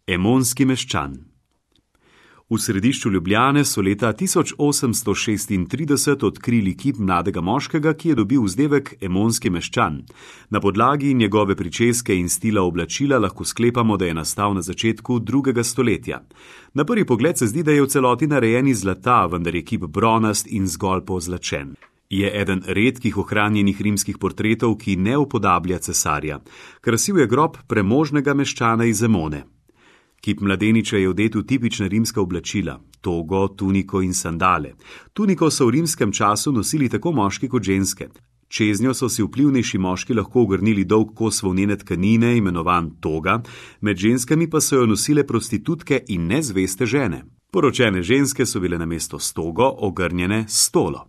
Emonski meščan. V središču Ljubljane so leta 1836 odkrili kip mladega moškega, ki je dobil vzdevek Emonski meščan. Na podlagi njegove pričeske in stila oblačila lahko sklepamo, da je nastal na začetku 2. stoletja. Na prvi pogled se zdi, da je v celoti narejen iz zlata, vendar je kip bronast in zgolj pozlačen. Je eden redkih ohranjenih rimskih portretov, ki ne upodablja cesarja. Krasil je grob premožnega meščana iz Emone. Kip mladeniča je odet v tipična rimska oblačila, togo, tuniko in sandale. Tuniko so v rimskem času nosili tako moški kot ženske. Čeznjo so si vplivnejši moški lahko ogrnili dolg kos volnene tkanine, imenovan toga, med ženskami pa so jo nosile prostitutke in nezveste žene. Poročene ženske so bile namesto s togo ogrnjene s stolo.